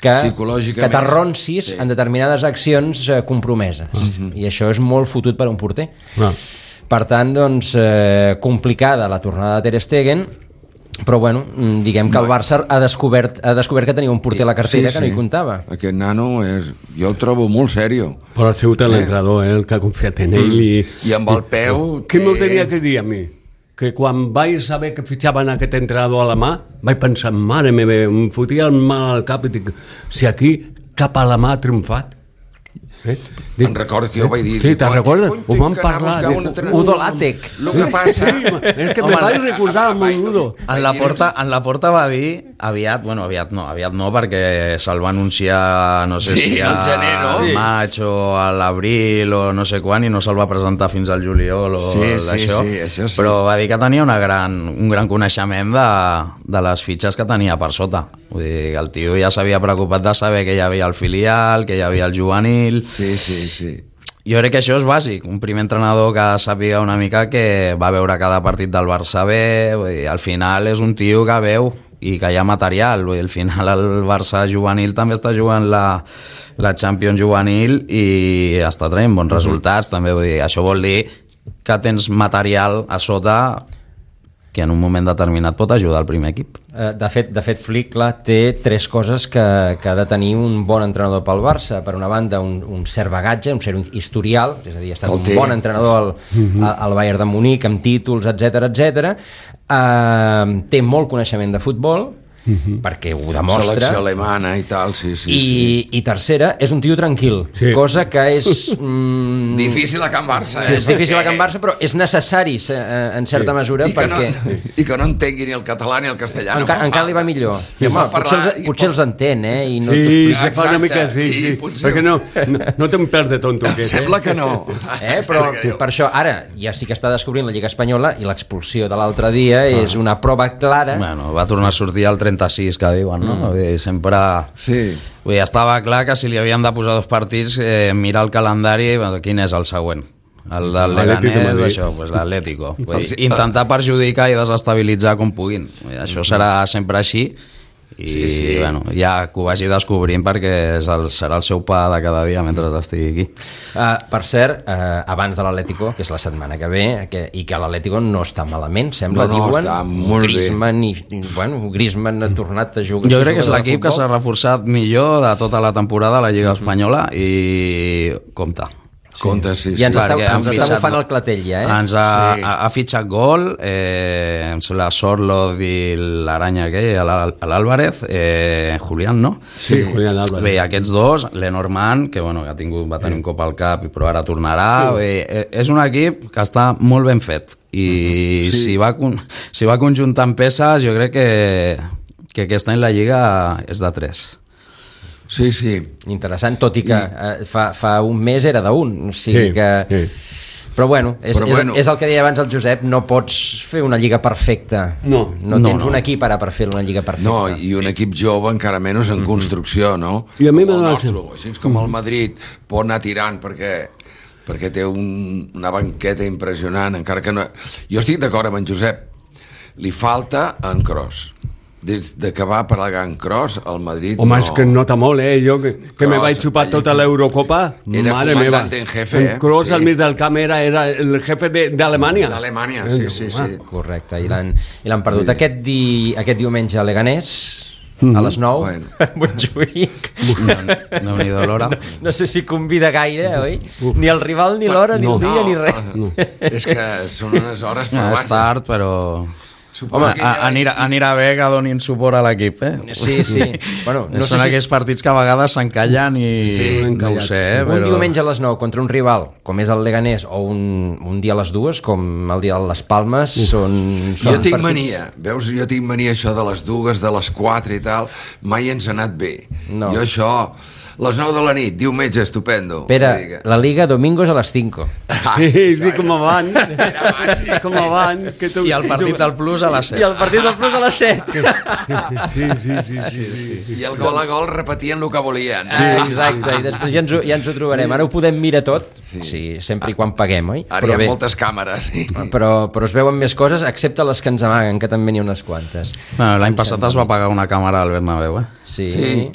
[SPEAKER 2] que,
[SPEAKER 4] Psicològicament,
[SPEAKER 2] que t'arronsis
[SPEAKER 4] sí.
[SPEAKER 2] en determinades accions eh, compromeses. Uh-huh. I això és molt fotut per a un porter.
[SPEAKER 3] Ah.
[SPEAKER 2] Per tant, doncs, eh, complicada la tornada de Ter Stegen, però bueno, diguem que el Barça ha descobert, ha descobert que tenia un porter a la cartera sí, sí. que no hi comptava.
[SPEAKER 4] Aquest nano és, jo el trobo molt sèrio.
[SPEAKER 3] Però ha sigut l'entrenador, eh, el que ha confiat en ell. I,
[SPEAKER 4] I amb el peu...
[SPEAKER 3] Què m'ho tenia que dir a mi? Que quan vaig saber que fitxaven aquest entrenador a la mà, vaig pensar, mare meva, em fotia el mal al cap i dic, si aquí cap a la mà ha triomfat. Eh?
[SPEAKER 4] Dic, em recordo que jo vaig dir...
[SPEAKER 3] Sí, te'n recordes? Ho vam parlar.
[SPEAKER 2] Udo Lattek.
[SPEAKER 4] El que passa...
[SPEAKER 3] És que me vaig recordar amb el Udo.
[SPEAKER 5] En la porta, en la porta va dir aviat, bueno, aviat no, aviat no, perquè se'l va anunciar, no sé
[SPEAKER 4] Sí,
[SPEAKER 5] si
[SPEAKER 4] al gener, no?
[SPEAKER 5] al maig o a l'abril o no sé quan, i no se'l va presentar fins al juliol o
[SPEAKER 4] Sí, sí,
[SPEAKER 5] d'això.
[SPEAKER 4] sí, això sí.
[SPEAKER 5] Però va dir que tenia una gran, un gran coneixement de, de les fitxes que tenia per sota. Vull dir, que el tio ja s'havia preocupat de saber que hi havia el filial, que hi havia el juvenil...
[SPEAKER 4] Sí, sí, sí.
[SPEAKER 5] Jo crec que això és bàsic, un primer entrenador que sàpiga una mica que va veure cada partit del Barça bé, vull dir, al final és un tio que veu i que hi ha material, vull dir, al final el Barça juvenil també està jugant la, la Champions juvenil i està traient bons resultats, també, vull dir, això vol dir que tens material a sota que en un moment determinat pot ajudar el primer equip.
[SPEAKER 2] De fet, de fet Flick, clar, té tres coses que, que ha de tenir un bon entrenador pel Barça. Per una banda, un, un cert bagatge, un cert historial, és a dir, ha estat un bon entrenador al, al, al Bayern de Munic, amb títols, etcètera, etcètera. Uh, té molt coneixement de futbol, Uh-huh. perquè ho demostra.
[SPEAKER 4] Selecció alemana i tal, sí, sí.
[SPEAKER 2] I,
[SPEAKER 4] sí.
[SPEAKER 2] i tercera, és un tio tranquil, sí. cosa que és... Mm,
[SPEAKER 4] difícil a Can Barça, eh?
[SPEAKER 2] És difícil a Can Barça, però és necessari en certa sí. mesura
[SPEAKER 4] I
[SPEAKER 2] perquè...
[SPEAKER 4] No, I que no entengui ni el català ni el castellà.
[SPEAKER 2] Enca, no encara li va millor.
[SPEAKER 4] I
[SPEAKER 2] home,
[SPEAKER 4] parlar,
[SPEAKER 2] potser els,
[SPEAKER 4] i
[SPEAKER 2] potser
[SPEAKER 4] pot...
[SPEAKER 2] els entén, eh? I no
[SPEAKER 3] sí, se fa una mica sí, sí.
[SPEAKER 4] Potser...
[SPEAKER 3] perquè no, no, no té un pèl de tonto.
[SPEAKER 4] Em sembla que no.
[SPEAKER 2] Eh? Però per això, ara, ja sí que està descobrint la Lliga Espanyola i l'expulsió de l'altre dia ah. és una prova clara.
[SPEAKER 5] Bueno, va tornar a sortir al trenta-sis, que diuen, no? Mm. Vull dir, sempre...
[SPEAKER 4] Sí.
[SPEAKER 5] Vull dir, estava clar que si li havien de posar dos partits, eh, mirar el calendari, bueno, quin és el següent? El del Leganés, això, pues l'Atlético. Intentar perjudicar i desestabilitzar com puguin. Vull dir, això serà sempre així. I sí, sí. Bueno, ja que ho vagi descobrint perquè és el, serà el seu pa de cada dia mentre estigui aquí.
[SPEAKER 2] Uh, per cert, uh, abans de l'Atlético, que és la setmana que ve, que, i que l'Atlético no està malament, sembla,
[SPEAKER 4] no, no,
[SPEAKER 2] diuen,
[SPEAKER 4] està molt
[SPEAKER 2] Griezmann, i, i, bueno, Griezmann ha tornat a jugar.
[SPEAKER 5] Jo crec que és l'equip que s'ha reforçat millor de tota la temporada a la Lliga Espanyola i compte.
[SPEAKER 4] Sí. Compte, sí, sí.
[SPEAKER 2] I ens està, ens
[SPEAKER 5] fitxat,
[SPEAKER 2] està bufant el clatell ja, eh?
[SPEAKER 5] Ens ha,
[SPEAKER 4] sí.
[SPEAKER 5] ha, ha fitxat gol, eh, em sembla Sorloth i l'Aranya aquell, l'Álvarez, eh, Julián, no?
[SPEAKER 3] Sí, Julián Álvarez.
[SPEAKER 5] Bé, aquests dos, Lenormand, que bueno, ha tingut, va tenir un cop al cap, però ara tornarà. Sí. Bé, és un equip que està molt ben fet i sí. si, va, si va conjuntant peces, jo crec que, que aquest any la Lliga és de tres.
[SPEAKER 4] Sí, sí.
[SPEAKER 2] Interessant, tot i que eh, fa, fa un mes era d'un, o sigui
[SPEAKER 3] sí,
[SPEAKER 2] que...
[SPEAKER 3] Sí.
[SPEAKER 2] Però bueno, és,
[SPEAKER 4] Però bueno.
[SPEAKER 2] És, és el que deia abans el Josep, no pots fer una lliga perfecta.
[SPEAKER 3] No.
[SPEAKER 2] No tens
[SPEAKER 5] no, no.
[SPEAKER 2] un equip ara per fer una lliga perfecta.
[SPEAKER 4] No, i un equip jove encara menys en construcció, no?
[SPEAKER 3] I a mi
[SPEAKER 4] com el
[SPEAKER 3] m'ha
[SPEAKER 4] nostre, així com el Madrid pot anar tirant, perquè perquè té un, una banqueta impressionant, encara que no... Jo estic d'acord amb en Josep, li falta en Kroos. Des de que va per la Gan Kroos, al Madrid...
[SPEAKER 3] Home,
[SPEAKER 4] no.
[SPEAKER 3] és que nota molt, eh? Jo que, que me
[SPEAKER 4] Kroos,
[SPEAKER 3] vaig xupar
[SPEAKER 4] allà-
[SPEAKER 3] tota l'Eurocopa,
[SPEAKER 4] Era
[SPEAKER 3] mare meva.
[SPEAKER 4] comandante en jefe, eh?
[SPEAKER 3] En Kroos
[SPEAKER 4] Sí.
[SPEAKER 3] al mig del camp era, era el jefe de- d'Alemanya.
[SPEAKER 4] D'Alemanya, sí, sí, sí.
[SPEAKER 2] Correcte, i l'han i l'han perdut. Aquest, di, aquest diumenge a Leganés, a les nou,
[SPEAKER 4] Bueno.
[SPEAKER 2] Montjuïc.
[SPEAKER 5] Déu-n'hi-do l'hora.
[SPEAKER 2] No sé si convida gaire, oi? Ni el rival, ni l'hora, ni
[SPEAKER 3] No.
[SPEAKER 2] el dia,
[SPEAKER 4] No,
[SPEAKER 2] ni res.
[SPEAKER 4] no. És que són unes hores per
[SPEAKER 5] No, és
[SPEAKER 4] baixes.
[SPEAKER 5] tard, però...
[SPEAKER 4] Suposo
[SPEAKER 5] Home,
[SPEAKER 4] que
[SPEAKER 5] a,
[SPEAKER 4] ja-
[SPEAKER 5] anirà, anirà bé que donin suport a l'equip, eh?
[SPEAKER 2] Sí, sí. Bueno, no
[SPEAKER 5] Són
[SPEAKER 2] sé si
[SPEAKER 5] aquells partits que a vegades s'encallen i
[SPEAKER 4] Sí,
[SPEAKER 5] no ho sé, eh?
[SPEAKER 2] un
[SPEAKER 5] Però...
[SPEAKER 2] diumenge a les nou contra un rival, com és el Leganés, o un, un dia a les dues, com el dia de les Palmes, són, són
[SPEAKER 4] Jo tinc
[SPEAKER 2] partits-
[SPEAKER 4] mania, veus, jo tinc mania això de les dues, de les quatre i tal, mai ens ha anat bé.
[SPEAKER 2] No.
[SPEAKER 4] Jo això, les nou de la nit, diumenge, estupendo.
[SPEAKER 2] Espera,
[SPEAKER 4] Vull dir que-
[SPEAKER 2] la Liga domingos a les cinco.
[SPEAKER 4] Ah,
[SPEAKER 3] Sí, sí,
[SPEAKER 4] això
[SPEAKER 3] com
[SPEAKER 4] era-
[SPEAKER 3] abans.
[SPEAKER 4] era abans, sí.
[SPEAKER 3] Com abans. Que tu...
[SPEAKER 5] I el partit del Plus a les set.
[SPEAKER 2] I el partit del Plus a les set.
[SPEAKER 3] Sí, sí, sí, sí, sí.
[SPEAKER 4] I el gol a gol repetien el que volien.
[SPEAKER 2] Ah, exacte, i després ja ens, ho, ja ens ho trobarem. Ara ho podem mirar tot, sí, sí sempre i quan paguem, oi?
[SPEAKER 4] Ara hi ha moltes càmeres, sí.
[SPEAKER 2] però, però es veuen més coses, excepte les que ens amaguen, que també n'hi ha unes quantes.
[SPEAKER 5] Bueno, L'any passat es va pagar una càmera al Bernabéu, eh?
[SPEAKER 2] Sí.
[SPEAKER 4] Sí.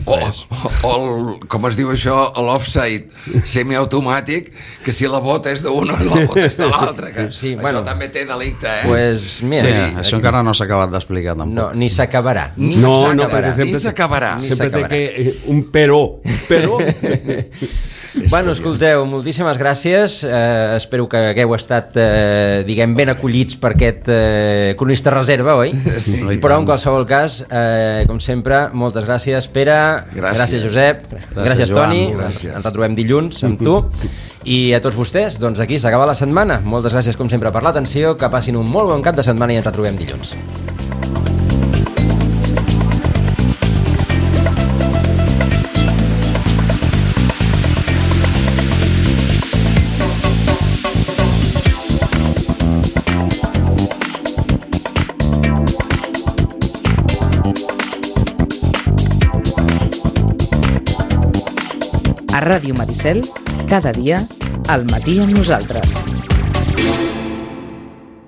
[SPEAKER 4] O, o, o el, com es diu això, l'offside semiautomàtic, que si la bota és d'un o la bota és de l'altre, que
[SPEAKER 2] Sí,
[SPEAKER 4] això
[SPEAKER 2] bueno.
[SPEAKER 4] també té delicte, eh?
[SPEAKER 2] Pues, mira,
[SPEAKER 5] Sí,
[SPEAKER 2] sí,
[SPEAKER 5] això encara no s'ha acabat d'explicar, tampoc.
[SPEAKER 2] no, ni s'acabarà. Ni
[SPEAKER 3] No, no,
[SPEAKER 2] s'acabarà.
[SPEAKER 3] perquè sempre...
[SPEAKER 4] Ni s'acabarà.
[SPEAKER 2] Ni
[SPEAKER 3] Sempre té
[SPEAKER 2] s'acabarà.
[SPEAKER 3] que... eh, Un però. Però...
[SPEAKER 2] Bueno, escolteu, moltíssimes gràcies. Eh, espero que hagueu estat, eh, diguem, ben acollits per aquest eh, cronista reserva, oi?
[SPEAKER 4] Sí.
[SPEAKER 2] Però, en qualsevol cas, eh, com sempre, moltes gràcies, Pere.
[SPEAKER 4] Gràcies.
[SPEAKER 2] Gràcies, Josep. Gràcies, gràcies
[SPEAKER 5] Joan.
[SPEAKER 2] Toni.
[SPEAKER 4] Gràcies.
[SPEAKER 2] Ens retrobem dilluns amb tu. I a tots vostès, doncs aquí s'acaba la setmana. Moltes gràcies, com sempre, per l'atenció. Que passin un molt bon cap de setmana i ens retrobem dilluns.
[SPEAKER 1] A Ràdio Maricel, cada dia, al matí amb nosaltres.